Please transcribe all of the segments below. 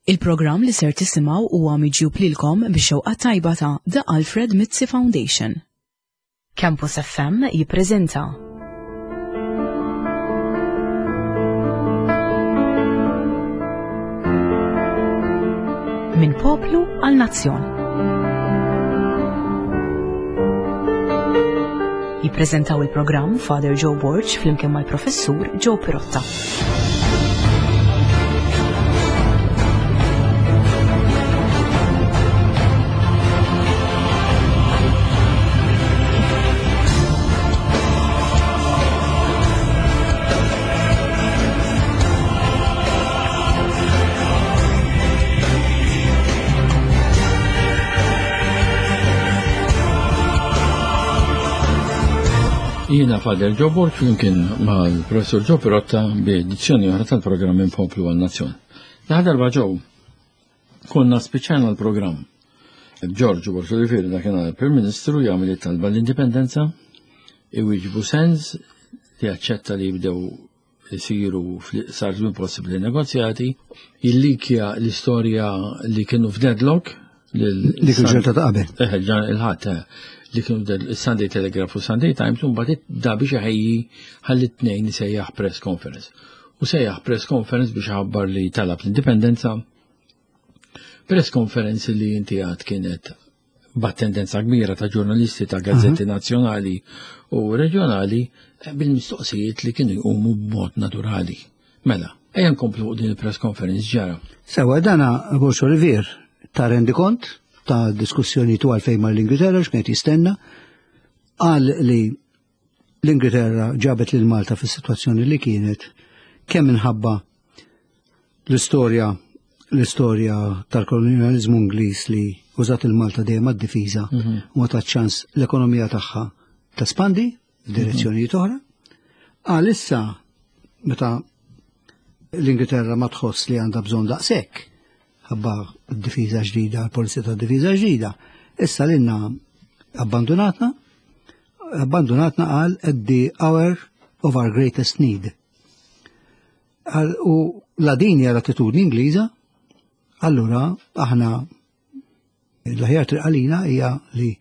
Il-programm li ser tisimgħu huwa miġjub lilkom bix-xewqa tajba ta' The Alfred Mizzi Foundation. Campus FM jippreżenta Minn poplu għal nazzjon. Jippreżentaw il-programm Father Joe Borg flimkien mal-Professur Joe Pirotta. Jiena Father Joe Borg flimkien mal-Professur Joe Pirotta bi edizzjoni oħra tal-programm Minn Poplu għal Nazzjon. L-aħħar darba Joe konna spiċċajna l-programm. Giorgio Borg Olivieri dakinhar il-Prim Ministru jagħmel it-talba l-indipendenza, iwieġbu sens li aċċetta li jibdew isiru fl-iqsar żmien possibbli negozjati, jillikja l-istorja li kienu f'deadlock. Dik il-ġurnata ta' qabel. Eh, il-ħadd, eh, li kienu il-Sunday Telegraph u Sunday Times, un mbagħad da biex iħejji ħalli tnejn sejjaħ press conference. U sejjaħ press conference biex ħabbar li talab l-indipendenza. Press conference li inti għad kienet b'attendenza kbira ta' ġurnalisti ta' gazzetti nazzjonali u reġjonali eh, bil-mistoqsijiet li kienu jqumu b'mod naturali. Mela, ejja nkomplu fuq din il-press conference ġara. Sewa dana Borg Olivier ta' rendikont ta' diskussjoni tu għalfejn mal l-Ingilterra x'kienet jistenna qal li l-Ingilterra ġabet lil Malta fis-sitwazzjoni li kienet kemm minħabba L-istorja l-istorja tal-kolonjalizmu Ingliż li użat il-Malta dejjem għad-difiża mhm. u ma tat ċans l-ekonomija tagħha tespandi f'direzzjonijiet mhm. oħra. Għal issa meta l-Ingilterra ma tħoss li għandha bżonn daqshekk ħabba d-difiża ġdida, l-polizija ta' difiża ġdida, issa lilna abbandunatna, abbandunatna għal at the hour of our greatest need. U la din hija l-attitudni Ingliża, allura aħna l-aħjar triq għalina hija li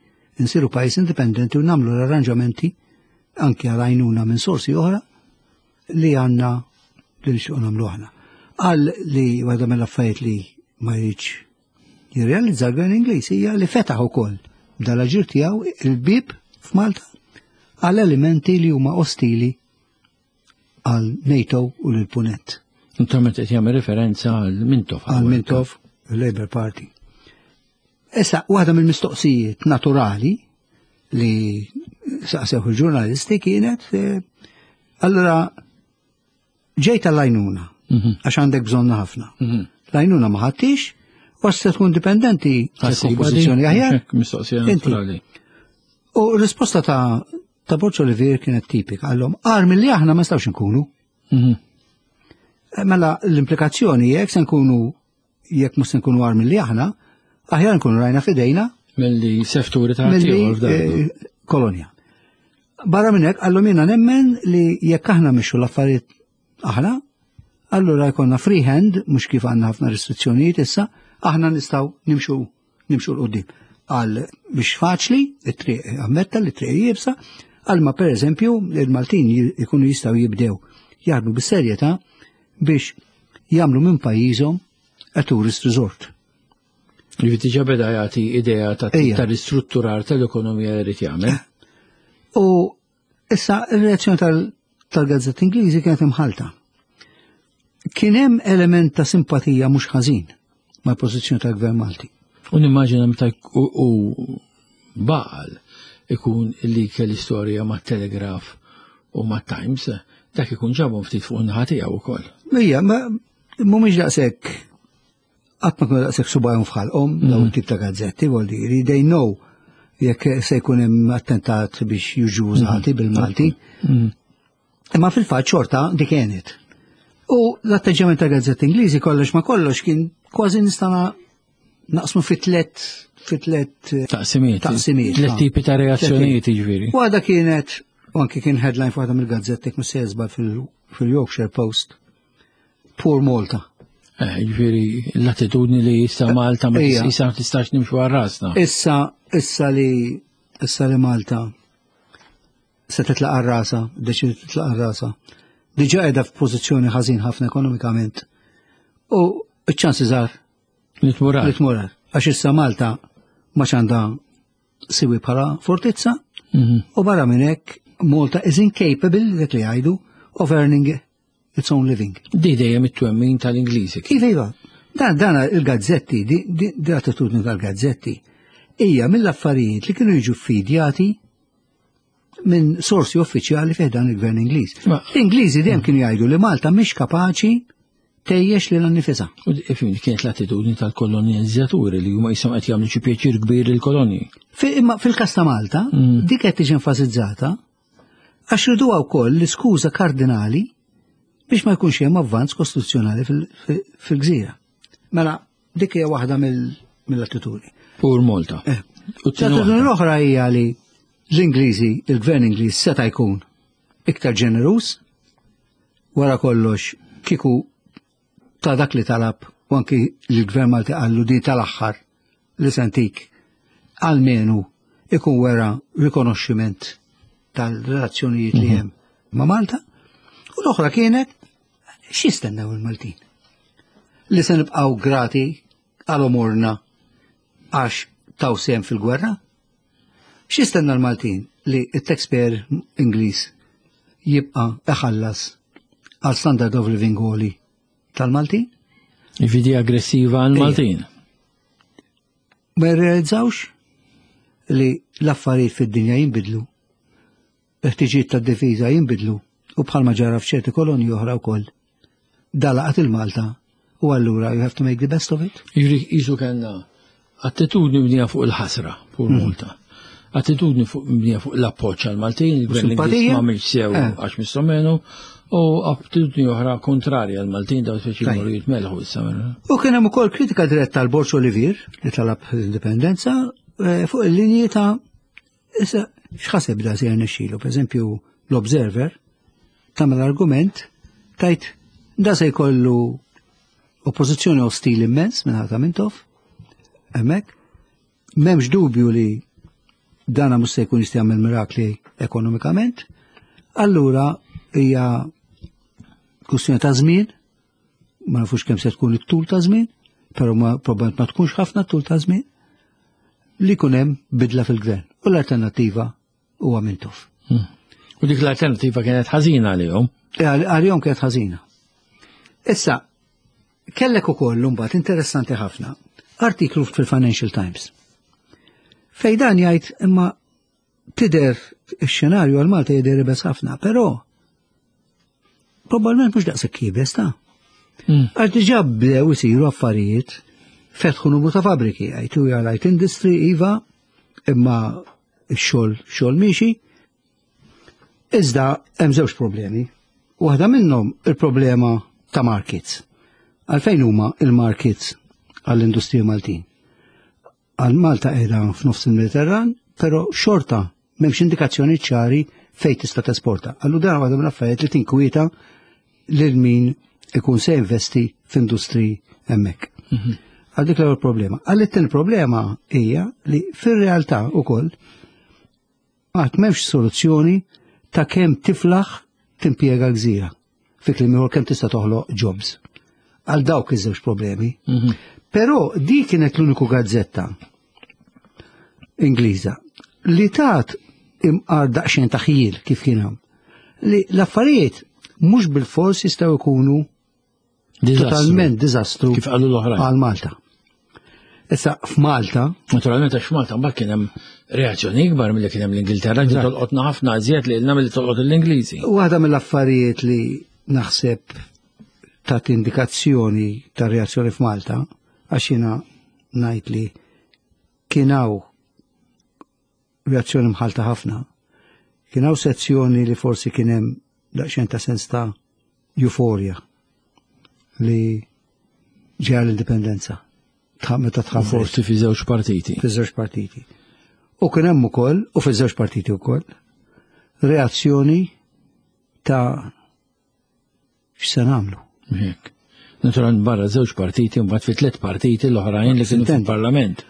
nsiru pajjiż indipendenti u nagħmlu l-arranġamenti anke għal għajnuna minn sorsi oħra li għandna li nixtiequ nagħmlu aħna. Qal li waħda mill-affarijiet li ma jridx jirrealizza l-gvern Ingliż hija li fetaħ ukoll dal-aġir tiegħu il-bib f'Malta għal elementi li huma ostili għal NATO u lil Punent. Naturalment qed jagħmel referenza għal Mintoff. Għal Mintoff, il-Labour Party. Issa, waħda mill-mistoqsijiet naturali li saqsew il-ġurnalisti kienet, eh, allora ġejt għall-għajnuna, mhm. għax għandek bżonna ħafna. Mhm. L-għajnuna ma ħaddix, u se tkun dipendenti għal pożizzjoni aħjar. Mistoqsija naturali. U risposta ta' ta' Borġ Olivier kienet tipika, għallhom għar milli aħna ma nistgħux nkunu. Mhm. Eh, mela l-implikazzjoni jekk se nkunu jekk mhux se nkunu għar milli aħna, aħjar nkunu rajna fidejna. Milli sefturi ta' milli eh, kolonja. Barra minn hekk għallhom jiena nemmen li jekk aħna mixu l-affarijiet aħna, allura jkollna free hand, mhux kif għandna ħafna restrizzjonijiet issa, aħna nistgħu nimxu nimxu l-qoddim. Għal biex faċli, it-triq ammetta li triq jibsa, għal ma per eżempju il-Maltin jkunu jistgħu jibdew jaħdmu bis-serjetà biex jagħmlu minn pajjiżhom a tourist resort. Li diġà beda jagħti idea ta' ta' ristrutturar tal-ekonomija li jrid jagħmel. U Issa, il-reazzjoni tal-gazzetti Ingliżi kienet imħalta. Kien hemm element ta' simpatija mhux ħażin mal-pożizzjoni tal-Gvern Malti. U nimmaġina meta u baqal ikun li kell istorja ma' Telegraph u ma' Times, dak ikun ġabhom ftit fuq naħa tiegħu wkoll. Ija, ma mhumiex daqshekk qatt ma kienu daqshekk subajhom f'ħalqhom mm. dawn tip ta' gazzetti, vuol dire they know jekk se jkun hemm attentat biex jiġu użati mm. bil-Malti. Mm. Imma fil-fatt xorta dik kienet. U l-atteġġjament ta' gazzetti Ingliżi kollox ma kollox kien kważi nistana naqsmu fi tlet fi tlet eh, taqsimiet. Taqsimiet. Tlet tipi ta' reazzjonijiet jiġifieri. Waħda kienet u anki kien headline f'waħda mill-gazzetti mhux se fil-Yorkshire Post Poor Malta. Eh, ġifieri l-attitudni li issa Malta ma issa ma tistax nimxu għal rasna. Issa issa li issa li Malta se titlaq għal rasa, deċidiet titlaq għal rasa. Diġà qiegħda f'pożizzjoni ħażin ħafna ekonomikament. U ċ-ċansi żgħar li tmur Li tmur Għax issa Malta ma għandha siwi bħala fortizza mhm. u barra minn hekk Malta is incapable, dik li jgħidu, of earning its own living. Di dejjem it-twemmin tal-Ingliżi. Iva, iva. Dan, dan il-gazzetti, di, di, di attitudni tal-gazzetti, hija mill-affarijiet li kienu jiġu fidjati minn sorsi uffiċjali fih dan il-gvern Ingliż. L-Ingliżi dejjem kienu jgħidu li Malta mhix kapaċi tejjex lil nifisha. U ifhimni kienet l-attitudni tal-kolonizzaturi li huma jisom qed jagħmlu xi pjaċir kbir lill-kolonji. Imma fil-każ ta' Malta, mm. dik qed tiġi enfasizzata għax riduha wkoll l-iskuża kardinali biex ma jkunx hemm avvanz kostituzzjonali fil-gżira. Mela, dik hija waħda mill-attitudni. Pur Malta. Eh. L-attitudni l-oħra hija li l-Ingliżi, il-gvern Ingliż seta' jkun iktar ġeneruż wara kollox kieku ta' dak li talab u anki l-gvern Malti qallu di tal-aħħar li sentik almenu ikun wera rikonoxximent tal-relazzjonijiet li mhm. hemm ma' Malta. U l-oħra kienet x'jistennew il-Maltin? Li se nibqgħu grati għal omorna għax taw sehem fil-gwerra? X'jistenna l-Maltin li t-taxpayer Ingliż jibqa' iħallas għal standard of living għoli tal-Maltin? Ġifieri aggressiva għal-Maltin. Ma jirrealizzawx li l-affarijiet fid-dinja jinbidlu, il-ħtiġijiet tad-difiża jinbidlu u bħalma ġara f'ċerti kolonji oħra wkoll. Dalaqat il-Malta u allura you have to make the best of it. Jiġri jisu kellna attitudni mibnija fuq il-ħasra fuq mm. Malta. Attitudni fuq mibnija fuq l-appoġġ għal-Maltin, il-gvern Ingliż ma għamilx sew eh. għax missomenu, u attitudni oħra kontrarja għal-Maltin daw speċi jmorru jitmelħu issa. U kien hemm ukoll kritika diretta għal Borġ Olivier li talab l-indipendenza eh, fuq il-linji ta' Issa, x'ħaseb da se jirnexxilu? Per eżempju, l-Observer tagħmel argument tajt da se jkollu oppożizzjoni ostili immens minn ħata Mintoff, hemmhekk, m'hemmx dubju li dana mhux se jkun jista' jagħmel mirakli ekonomikament, allura hija kwistjoni ta' żmien, ma nafux kemm se tkun it-tul ta' żmien, però ma probabbilment ma tkunx ħafna tul ta' żmien, li jkun hemm bidla fil-gvern. U l-alternattiva huwa Mintoff. Hmm. U dik l-alternattiva kienet ħażina għalihom? Eh, għalihom kienet ħażina. Issa, kellek ukoll mbagħad interessanti ħafna artiklu fil-Financial Times. Fej dan jgħid imma tidher ix-xenarju għal Malta jidher ibes ħafna, però probabbilment mhux daqshekk iebes ta'. Hmm. Għax diġà bdew isiru affarijiet fetħu numru ta' fabriki, għajtu light industry, iva, imma x-xogħol xogħol miexi. Iżda hemm żewġ problemi. Waħda minnhom il-problema ta' markets. Għalfejn huma il-markets għall-industrija Maltin? Għal Malta qiegħda f'nofs il-Mediterran, però xorta m'hemmx indikazzjoni ċari fejn tista' tesporta. Allu dan waħda mill-affarijiet li tinkwieta lil min ikun se investi f'industri hemmhekk. Mhm. Għal dik l-ewwel problema. Għal it-tieni problema hija li fir-realtà ukoll Għad m'hemmx soluzzjoni ta' kemm tiflaħ timpjega gżira. Fi kliem ieħor kemm tista' toħloq jobs. Għal dawk iż-żewġ problemi. Mhm. Però di kienet l-uniku gazzetta Ingliża li tat imqar daqsxejn ta' ħjiel kif kien hawn. Li l-affarijiet mhux bil-fors jistgħu jkunu Totalment diżastru. Kif qalu l-oħrajn. Għal Malta. Issa f'Malta. Naturalment għax f'Malta mbagħad kien hemm reazzjoni ikbar milli kien hemm l-Ingilterra li tolqotna ħafna iżjed li ilna milli tolqot l-Ingliżi. Waħda mill-affarijiet li naħseb tat indikazzjoni ta' reazzjoni f'Malta għax jiena ngħid li kien hawn reazzjoni mħalta ħafna. Kien hawn sezzjoni li forsi kien hemm daqsxejn ta' sens ta' euforja li ġeja l-indipendenza. Meta tħabbret. Forsi fi żewġ partiti. Fi żewġ partiti. U kien hemm ukoll, u fi żewġ partiti wkoll, reazzjoni ta' x'se nagħmlu. Hekk. Naturalment barra żewġ partiti u mbagħad fi tliet partiti l-oħrajn li kienu fil-Parlament.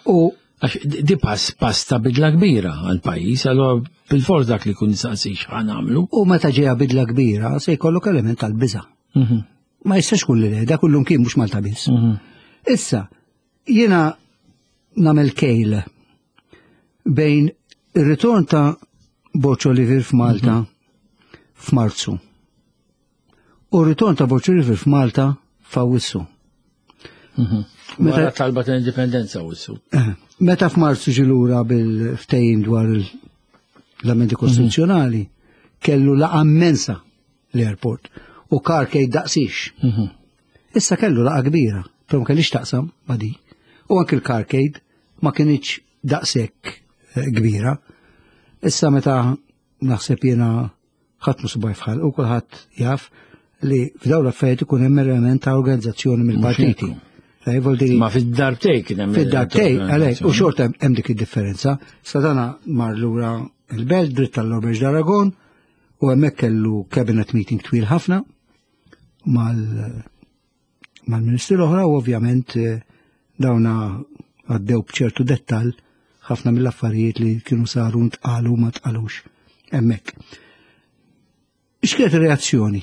U Għax di pass pass ta' bidla kbira għal pajjiż, allura bil-fors dak li kun saqsi x'ħan għamlu. U meta ġeja bidla kbira se jkollok element tal-biża'. Ma jistax kun li le, da kullum kien mhux Malta biss. Issa, jiena nagħmel kejl bejn ir-ritorn ta' Borg Olivier f'Malta f'Marzu u r-ritorn ta' Borg Olivier f'Malta f'Awwissu. Meta talba ta' indipendenza Awwissu. Meta f'Marzu ġie lura bil-ftehim dwar l-amendi kostituzzjonali, kellu laqgħa immensa l-airport u carcade daqsix. Issa kellu laqgħa kbira, però ma kellix taqsam ma' di. U anke l-carcade ma kinitx daqshekk kbira. Issa meta naħseb jiena ħadd mhu subaj fħal u kulħadd jaf li f'dawn l-affarijiet ikun hemm element ta' organizzazzjoni mill-partiti. Ma fid-darbtej kien hemm. Fid-darbtej, għalhekk, u xorta hemm dik id-differenza. Sadana mar lura il-belt dritt tal-Auberge d'Aragon u hemmhekk kellu cabinet meeting twil ħafna mal-ministri l-oħra u ovvjament dawna għaddew b'ċertu dettal ħafna mill-affarijiet li kienu saru ntqalu ma tqalux hemmhekk. X'kienet ir-reazzjoni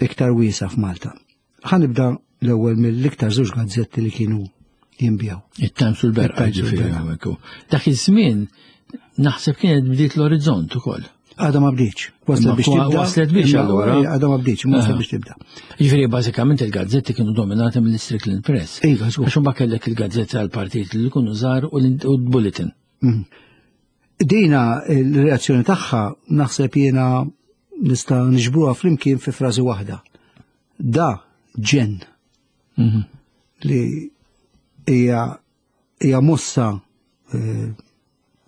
iktar wiesa f'Malta? Ħa nibda l-ewwel mill-iktar żewġ gazzetti li kienu jinbjaw. It-Times u l-Berqa, It-Times u ġifieri, l-Berqa. hawnhekk. Dak iż-żmien naħseb kienet bdiet l-orizzont ukoll. Għadha ma bdietx. Waslet Imma biex tibda. waslet biex Imma allura. Għadha ma bdietx, imma waslet biex tibda. Ġifieri bażikament il-gazzetti kienu dominati mill-Strickland Press. Iva, żgur. Għax imbagħad kellek il-gazzetti għall-partit li jkunu żgħar u l-Bulletin. Dina il-reazzjoni tagħha naħseb jiena nista' niġbruha flimkien fi frażi waħda. Da ġen. Li hija mossa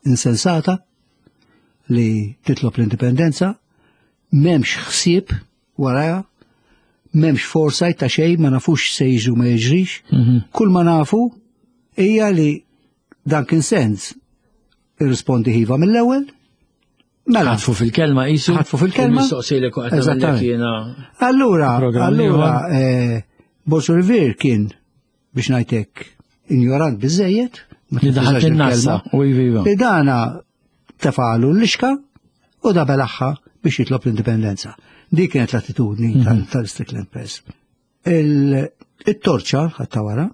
insensata li titlob l-indipendenza, m'hemmx ħsieb waraja, m'hemmx foresight ta' xejn, ma nafux se jiġu ma jiġrix. Kull ma nafu hija li Duncan Sandys irrispondi ħiva mill-ewwel. Mela. Ħatfu fil-kelma qisu. Ħatfu fil-kelma. Mistoqsi li kont qed nagħmel Eżattament. jiena Allura, programm allura, ieħor. Borg Olivier kien biex ngħidlek ignorant biżejjed, ma Li daħal tintużax fin-nassa, il-kelma. u iva, iva. Li dana tefalu l-lixka u da belaħħa biex jitlob l-indipendenza. Dik kienet l-attitudni tal-Strickland Press. Il-torċa ħatta wara.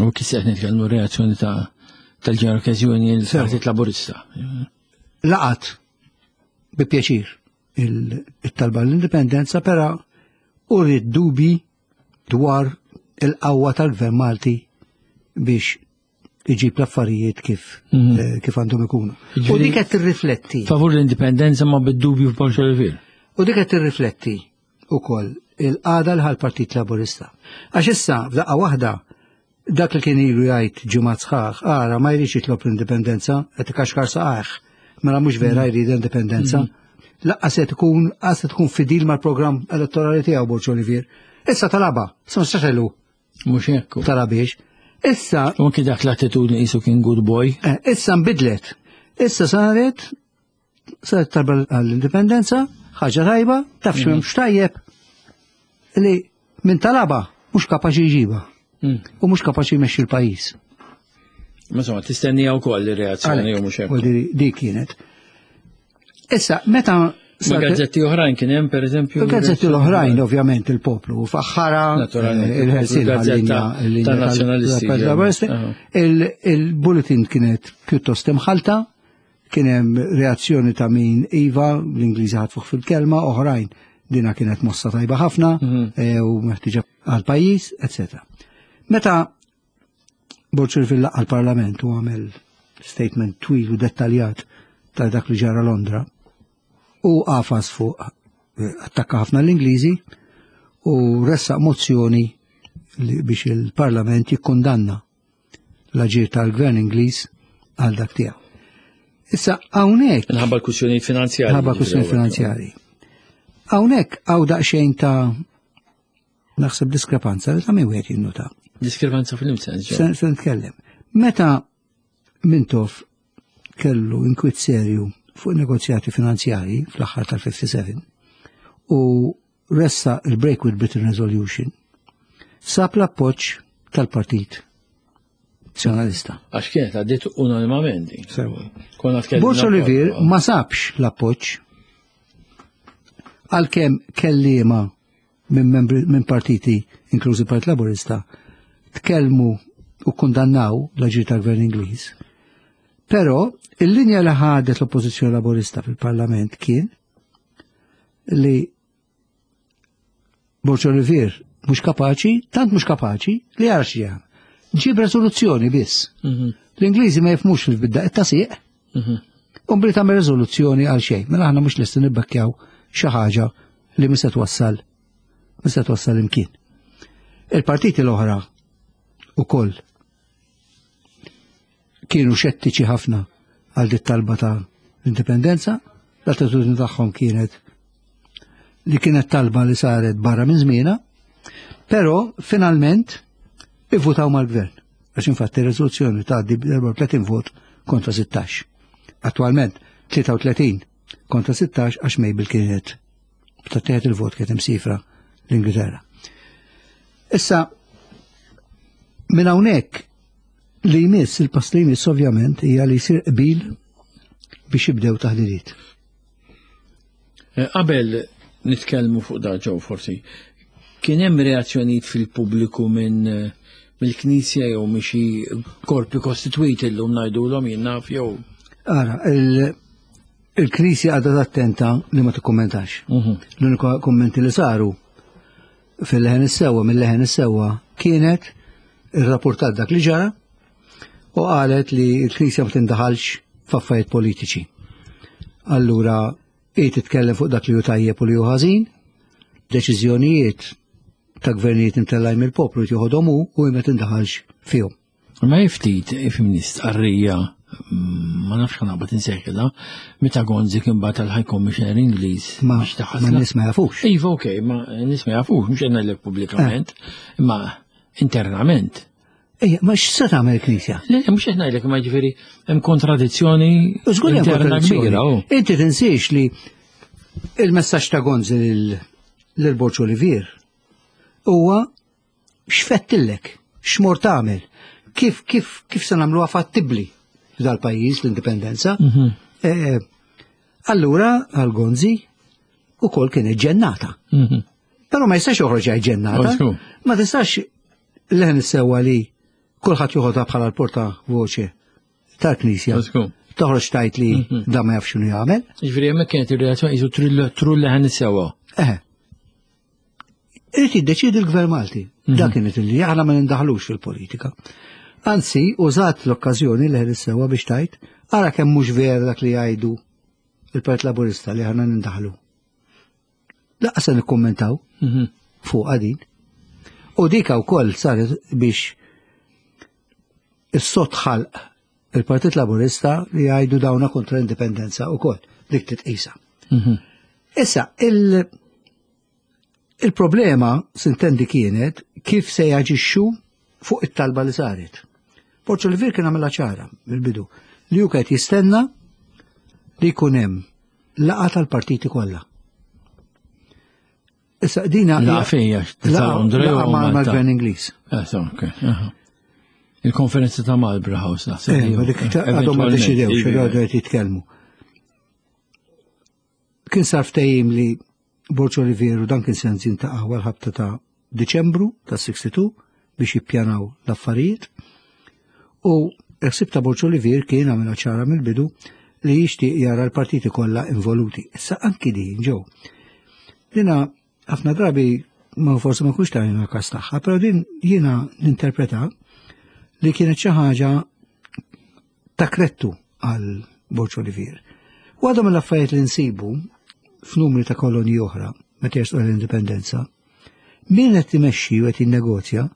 U kif se nitkellmu reazzjoni tal-General Okkażjoni l-Partit Laburista. Laqat bi pjaċir il-talba l-indipendenza, però u rrid dubi dwar il-qawwa tal-Gvern Malti biex iġib l-affarijiet kif għandhom ikunu. U Jiġifieri dik qed tirrifletti. Favur l-indipendenza ma bid-dubju f'Borg Olivier. U dik qed tirrifletti ukoll il-qagħda l Partit Laburista. Għax issa f'daqqa waħda dak li kien ilu jgħid ġimgħat sħaħ, ara ma jridx jitlob l-indipendenza, qed ikaxkar saqajh. Mela mhux vera jrid indipendenza. Laqqa se tkun, qas se tkun fidil mal-programm elettorali tiegħu Borg Olivier. Issa talaba, issa ma nistax għelu. Mhux hekk. Talabiex. Issa U anki dak l-attitudni qisu kien good boy. Issa nbidlet. Issa saret talba għall-indipendenza, ħaġa tajba, taf x'mhemmx tajjeb li min talaba mhux kapaċi jġiba. U mhux kapaċi jmexxi l-pajjiż. Ma insomma, tistennija wkoll ir-reazzjoni Għalhekk, jew mhux hekk. u di kienet. Issa, meta Ma saret gazzetti oħrajn kien hemm pereżempju Il-gazzetti l-oħrajn, ovvjament, il-poplu, faħħara, Naturalment, il-Ħelsien il-gazzetta għal-linja, il-linja tan-nazzjonalisti, tal-Partit ġew. Laburista. Il-bulletin kienet pjuttost imħalta, kien hemm reazzjoni ta' min iva, l-Ingliżi ħatfuh fil-kelma, oħrajn dina kienet mossa tajba ħafna, u meħtieġa għal-pajjiż, eccetera. Meta Borg Olivier laqqa l-Parlament u għamel statement twil u dettaljat ta' dak li ġara Londra, u għafas fuq attakka ħafna l-Ingliżi u ressaq mozzjoni li biex il-Parlament jikkundanna l-aġir tal-Gvern Ingliż għal dak tiegħu. Issa hawnhekk Minħabba l-kwistjonijiet finanzjarji. Minħabba kwistjonijiet finanzjarji. Hawnhekk hawn daqsxejn ta' naħseb diskrepanza li ta' min wieħed jinnota. Diskrepanza fil-sens, ġo. Se nitkellem. Meta Mintoff kellu inkwit serju fuq negozjati finanzjarji fl-aħħar tal-57 u ressa il-Break with Britain Resolution, sab l-appoġġ tal-Partit Nazzjonalista. Għax kienet għaddiet unanimament. Sewa. Borg Olivier ma sabx l-appoġġ għalkemm kelliema minn membri minn partiti inklużi Partit Laburista tkellmu u kundannaw l-aġir tal-Gvern Ingliż. Però il-linja li ħadet l-Oppożizzjoni Laburista fil-Parlament kien li Borg Olivier mhux kapaċi, tant mhux kapaċi li jara x'jagħmel. Ġib rezoluzzjoni biss. Mhm. L-Ingliżi ma jifmux fil-bidda it-tasiq. Mhm. U bli tagħmel riżoluzzjoni għal xejn. Mela aħna mhux lesti nibbekkjaw xi ħaġa li mhux se twassal mhux se twassal imkien. Il-partiti l-oħra ukoll kienu xettiċi ħafna għal dit talba ta' l-indipendenza, l-attitudni tagħhom kienet li kienet talba li saret barra minn żmienha, però finalment ivvutaw mal-gvern. Għax infatti r-riżoluzzjoni tgħaddi b'34 vot kontra 16. Attualment 33 kontra 16 għax Mabel kienet ta' il-vot kienet imsifra l-Ingilterra. Issa, minn hawnhekk li jmiss, il-pass li jmiss ovvjament hija li jsir qbil biex jibdew taħdidiet. Eh, qabel nitkellmu fuq da ġew forsi, kien hemm reazzjonijiet fil-pubbliku minn eh, mill-Knisja jew minn xi korpi kostitwiti llum ngħidulhom jien naf jew. Ara, il-Knisja għadha attenta li ma tikkummentax. Mhm. L-unika kummenti li saru fil-leħen is-sewwa mill-leħen is-sewwa kienet irrapportat dak li ġara u qalet li l-Knisja ma tindaħalx f'affarijiet politiċi. Allura hi titkellem fuq dak li hu tajjeb u li hu ħażin, deċiżjonijiet ta' gvernijiet imtellajn mill-poplu jieħodhom hu u ma tindaħalx fihom. Ma ftit ifimni stqarrija mm, ma nafx ħanaqbad insejħilha, meta Gonzi kien bagħat għal High Commissioner Ingliż ma ma nies ma jafux. Iva okej, ma nies ma jafux, mhux qed ngħidlek pubblikament, eh. imma internament. Ejja, ma x'se tagħmel il-Knisja? Le, mhux qed ngħidlek ma jiġifieri hemm kontradizzjoni interna kbira. Oh. Inti tinsiex li il-messaġġ ta' Gonzi lil Borġ Olivier huwa x'fettillek, x'mor tagħmel, kif kif kif se nagħmluha fattibbli dal-pajjiż l-indipendenza. Mhm. Eh, allura għal Gonzi ukoll kienet ġennata. Mhm. Però ma jistax joħroġ ġennata. Ma tistax leħen is-sewwa li kulħadd joħodha bħala l-porta voċe tal-Knisja. Toħroġ tajt li mhm. da ma jafx x'inhu jagħmel. Jiġifieri hemmhekk kienet ir-reazzjoni jisu trull leħen is-sewwa. Eh. Irid jiddeċiedi l-Gvern Malti. Mhm. Dak kienet li aħna ma nindaħlux fil-politika. Anzi, użat l-okkażjoni leħen is-sewwa biex tajt, ara kemm mhux vera dak li jgħidu il-Partit Laburista li aħna nindaħlu. Laqas se nikkummentaw mhm. fuq din. U dika wkoll saret biex is-sot ħalq il-Partit Laburista li jgħidu dawna kontra l-indipendenza wkoll dik titqisa. Mhm. Issa, il- il-problema sintendi kienet kif se jaġixxu fuq it-talba li saret. Porċo Olivier kien għamilha ċara mill-bidu li hu qed jistenna li jkun hemm laqgħa tal-partiti kollha. Issa dina Laqa fejja, ta' Londra jew mal-Gvern Ingliż. Eh, Il-konferenza ta' Marlborough House naħseb. Eh, ma dik għadhom ma deċidewx, iva. għadhom qed jitkellmu. Kien sar ftehim li Borġ Olivieru dan kien se jintaqgħu għal ħabta ta' Diċembru ta' 62 biex jippjanaw l-affarijiet. U l-ħsieb ta' Borġ Olivier kien għamilha ċara mill-bidu li jixtieq jara l-partiti kollha involuti. Issa anki din ġew. Dina ħafna drabi ma forsi ma kux tajna kas tagħha, però din jiena ninterpreta li kienet xi ħaġa ta' krettu għal Borġ Olivier. Waħda mill-affarijiet li nsibu f'numri ta' kolonji oħra meta jersqu l-indipendenza, min qed imexxi u qed jinnegozja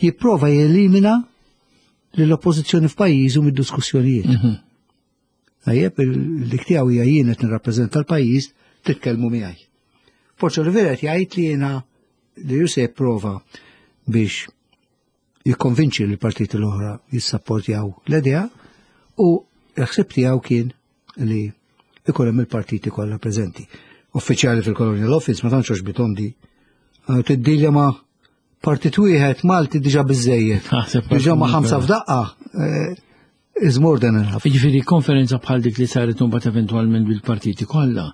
jipprova jelimina lill-oppożizzjoni f'pajjiżu mid-diskussjonijiet. Mhm. Tajjeb, dik tiegħu hija jien qed nirrappreżenta l-pajjiż titkellmu miegħi. Borġ Olivier qed jgħid li jiena li ju se jipprova biex jikkonvinċi li l-partiti l-oħra jissapportjaw l-idea u l-ħsieb tiegħu kien li ikun hemm il-partiti kollha preżenti. uffiċjali fil-Colonial Office ma tantx għoġbithom di. Tiddilja ma' partit wieħed Malti diġà biżejjed. Diġà ma' ħamsa f'daqqa eh, is more than enough. Jiġifieri konferenza bħal dik li saret imbagħad eventwalment bil-partiti kollha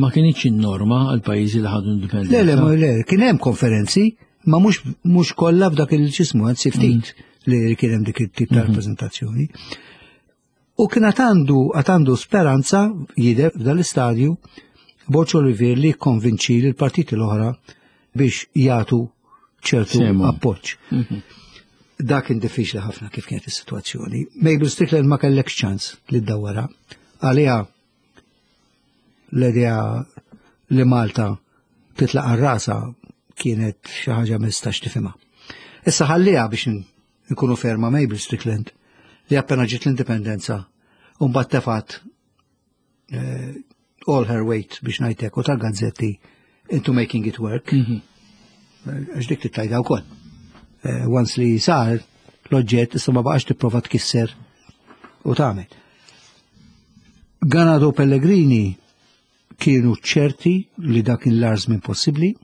ma kienx in-norma għal pajjiżi li ħadu indipendenza. Le, le, le, kien hemm konferenzi, ma mhux kollha f'dak il-ġismu, anzi ftit mm. li kien hemm dik it-tip ta' mm-hmm. rappreżentazzjoni. U kien għad għandu għad għandu speranza jidher f'dan l-istadju Borg Olivier li jikkonvinċi lill-partiti l-oħra biex jagħtu ċertu appoġġ. Mhm. Dak kien diffiċli ħafna kif kienet is-sitwazzjoni. Mabel Strickland ma kellekx ċans li ddawwarha. Għaliha l-idea li Malta titlaq għar-rasa kienet xi ħaġa ma tistax tifhimha. Issa ħalliha biex Inkunu fair ma' Mabel Strickland li appena ġiet l-indipendenza u mbagħad tefat eh, all her weight biex ngħidlek u tal-gazzetti into making it work. Mhm. Għax dik tittajda wkoll. Eh, once li sar l-oġġett issa ma baqax tipprova tkisser u tagħmel. Ganado Pellegrini kienu ċerti li dak kien l-agħar żmien possibbli,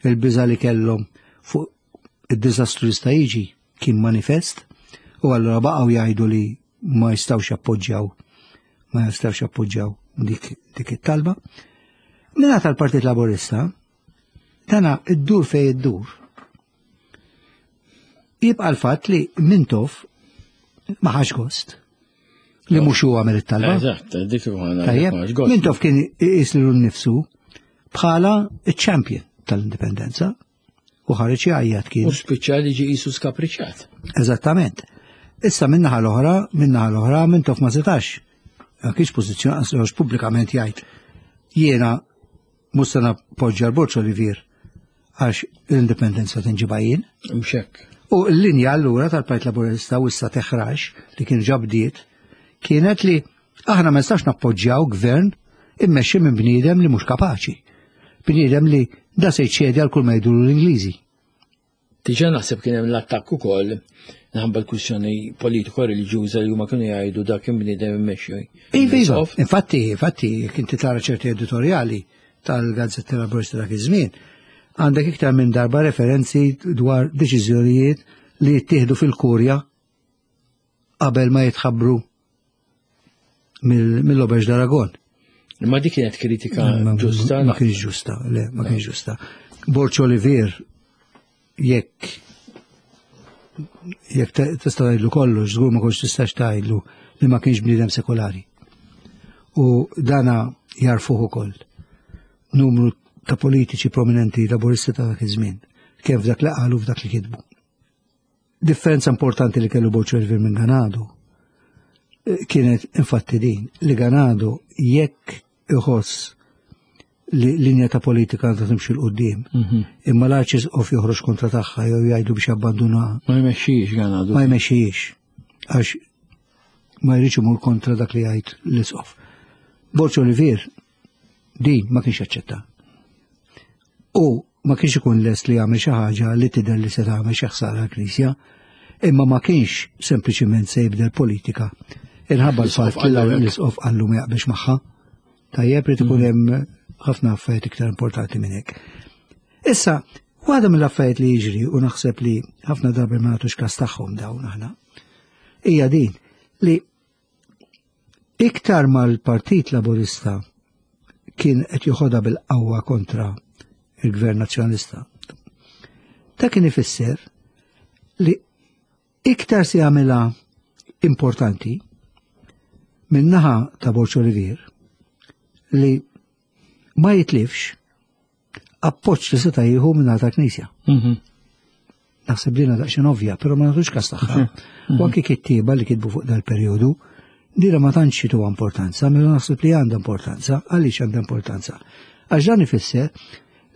il-biża li kellhom fuq id-diżastru li sta jiġi kien manifest u allura baqgħu jgħidu li ma jistgħux jappoġġjaw ma jistgħux jappoġġjaw dik, dik it-talba. Minna tal-Partit Laburista, dana id-dur fej id-dur. Jibqa' l-fatt li Mintoff ma ħax gost li mhux huwa għamel it-talba. Eżatt, dik Tajjeb, Mintoff kien iqis lilu nnifsu bħala iċ-champion tal-indipendenza u ħareġ jgħajjat kien. U spiċċa li ġie qisu skapriċċat. Eżattament. Issa minnaħa l-oħra, minnaħa l-oħra, Mintoff ma setax. Ma kienx pożizzjoni għax pubblikament jgħid jiena mhux se nappoġġja l-Borġ Olivier għax l-indipendenza tinġiba jien. Mhux hekk. U l-linja allura tal-Partit Laburista u issa teħrax li kien ġabdiet kienet li aħna ma nistax nappoġġjaw gvern immexxi minn bniedem li mhux kapaċi. Bniedem li da se jċedi għal kull ma jgħidulu l-Ingliżi. Diġà naħseb kien hemm l-attakk ukoll minħabba l-kwistjoni politiko reliġjuża li huma kienu jgħidu dak kien bniedem immexxi. Iva, iva. Infatti, infatti, jekk inti tara ċerti editorjali tal-Gazzetta Laburista dak iż-żmien, għandek iktar minn darba referenzi dwar deċiżjonijiet li jittieħdu fil-kurja qabel ma jitħabbru mill-Oberġ d'Aragon. Imma dik kienet kritika ġusta. Ma kienx ġusta, le, ma kienx ġusta. Borċ Olivier, jekk jekk tista' tgħidlu kollox, żgur ma kontx tistax tgħidlu li ma kienx bniedem sekolari. U dana jarfuh ukoll numru ta' politiċi prominenti laburisti ta' dak iż-żmien, kemm f'dak li qalu f'dak li kitbu. Differenza importanti li kellu Borg Olivier minn Ganado eh, kienet infatti din li Ganado jekk iħoss li linja ta' politika għandha timxi l qudiem mhm. imma l-arċisqof joħroġ kontra tagħha jew jgħidu biex jabbandunaha. Ma jmexxix Ganado. Ma jmexxix għax ma jridx imur kontra dak li jgħid l-isqof. Borġ Olivier Din ma kienx jaċċetta. U ma kienx ikun lest li jagħmel xi ħaġa li tidher li se tagħmel xi ħsara l-Knisja, imma ma kienx sempliċiment se jibdel politika. Inħabba l-fatt li l-isqof qallu ma jaqbilx magħha. Tajjeb li ikun mm. hemm ħafna affarijiet iktar importanti minn hekk. Issa, waħda mill-affarijiet li jiġri u naħseb li ħafna drabi ma nagħtux każ tagħhom dawn aħna, hija din li Iktar ma l-Partit Laburista kien qed joħodha bil-qawwa kontra il-Gvern Nazzjonalista. Ta' kien ifisser li iktar se jagħmilha importanti min-naħa ta' Borġ Olivier li ma jitlifx appoġġ li seta' jieħu minn ta' knisja. Mhm. Naħseb li daqsxejn ovvja, però ma nagħtux każ tagħha. Mhm. U anke kittieba li kitbu fuq dal-perjodu, dira ma tantx jituha importanza, mela naħseb li għandha importanza, għaliex għandha importanza. Għax dan ifisser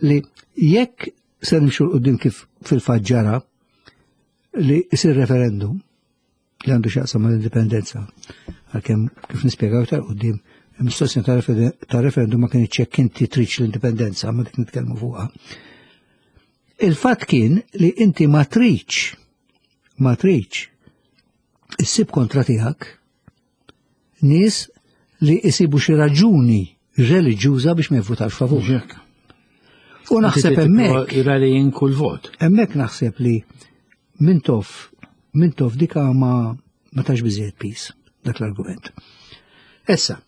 li jekk se nimxu l-qudiem kif fil-fatt ġara li jsir referendum, li għandu xaqsam mal-indipendenza. Għalkemm kif nispjegaw iktar qudiem, il-mistoqsija ta' referendum ma kienx jekk inti tridx l-indipendenza, ma dik nitkellmu fuqha. Il-fatt kien li inti ma tridx ma tridx issib kontra tiegħek nies li jsibu xi raġuni reliġjuża biex ma jivvutax favur. U naħseb hemmhekk. Rallying kull vot. Hemmhekk naħseb li Mintoff Mintoff dika ma ma tax biżejjed pis dak l-argument. Issa,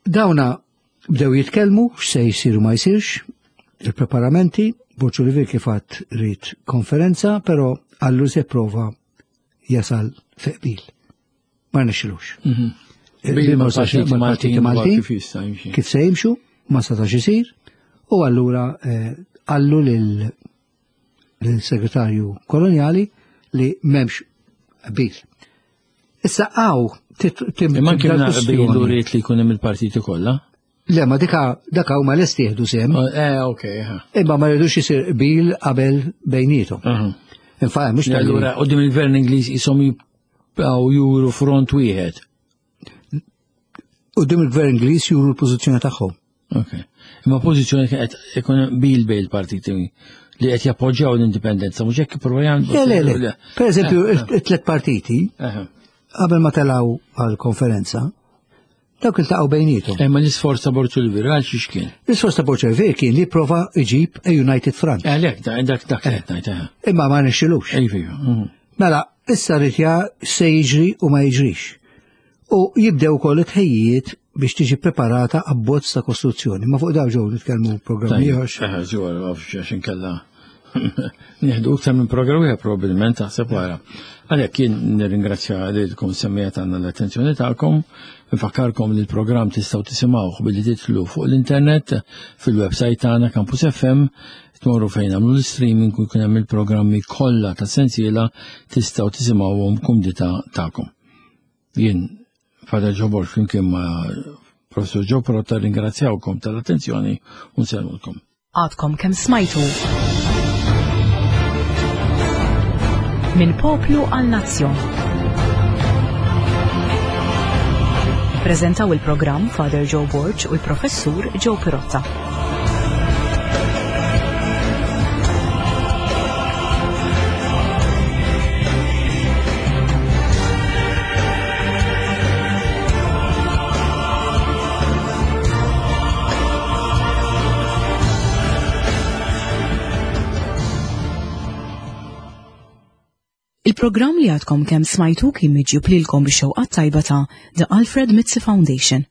dawna bdew jitkellmu x'se jsir ma jsirx, il-preparamenti, Borg Olivier kif għad ried konferenza, però għallu se prova jasal fi qbil. Ma rnexxilux. Mhm. Bil ma mal-partiti Maltin kif se jimxu, ma setax isir, u allura eh, għallu lil segretarju koloniali li memx qbil. Issa għaw Imma kien qbil u rrit li jkun hemm il-partiti kollha? Le, ma dika daka huma lesti jieħdu sehem. Oh, eh, ok. Imma ma rridux isir qbil qabel bejnietom. Infatti mhux Allura qudiem il-Gvern Ingliż isom jibqgħu juru front wieħed. Qudiem il-Gvern Ingliż juru l-pożizzjoni tagħhom. Ok. Imma pożizzjoni qed ikun bil bejn il-partiti li qed jappoġġjaw l-indipendenza, mhux hekk jipprova jagħmlu. Le, le, le. Per eżempju, eh, eh. it-tliet partiti qabel ma telgħu għall-konferenza, Dawk iltaqgħu bejniethom. Imma l-isforz ta' Borg Olivier għal xiex kien? L-isforz ta' Borg Olivier kien li prova iġib a United Front. Għalhekk eh, dak dak qed ngħid. Eh. Imma ma nixxilux. Iva, iva. Mhm. Mela, issa rrid se jiġri u ma jiġrix. U jibdew ukoll it-tħejjiet biex tiġi preparata abbozz ta' kostruzzjoni. Ma fuq daw ġew nitkellmu programm ieħor. Eh, ġew għax inkella Nieħdu iktar minn programm wieħed probabbilment taħseb wara. Għalhekk jien nirringrazzja lilkom semmija tagħna l-attenzjoni tagħkom, nfakkarkom li l-programm tistgħu tisimgħuh billi titlu fuq l-internet fil-website tagħna Campus FM tmorru fejn nagħmlu l-streaming u jkun hemm il-programmi kollha ta' sensiela tistgħu tisimgħuhom kumdità tagħkom. Jien Father Joe Borg flimkien ma' Professor Joe Protta ringrazzjawkom tal-attenzjoni u nsellmulkom. Għadkom kemm smajtu. Minn poplu għal nazzjon. Ippreżentaw il-programm Father Joe Borg u l-Professur Joe Pirotta. Il-programm li għadkom kemm smajtu kien miġjub lilkom bix-xewqat tajba ta' The Alfred Mizzi Foundation.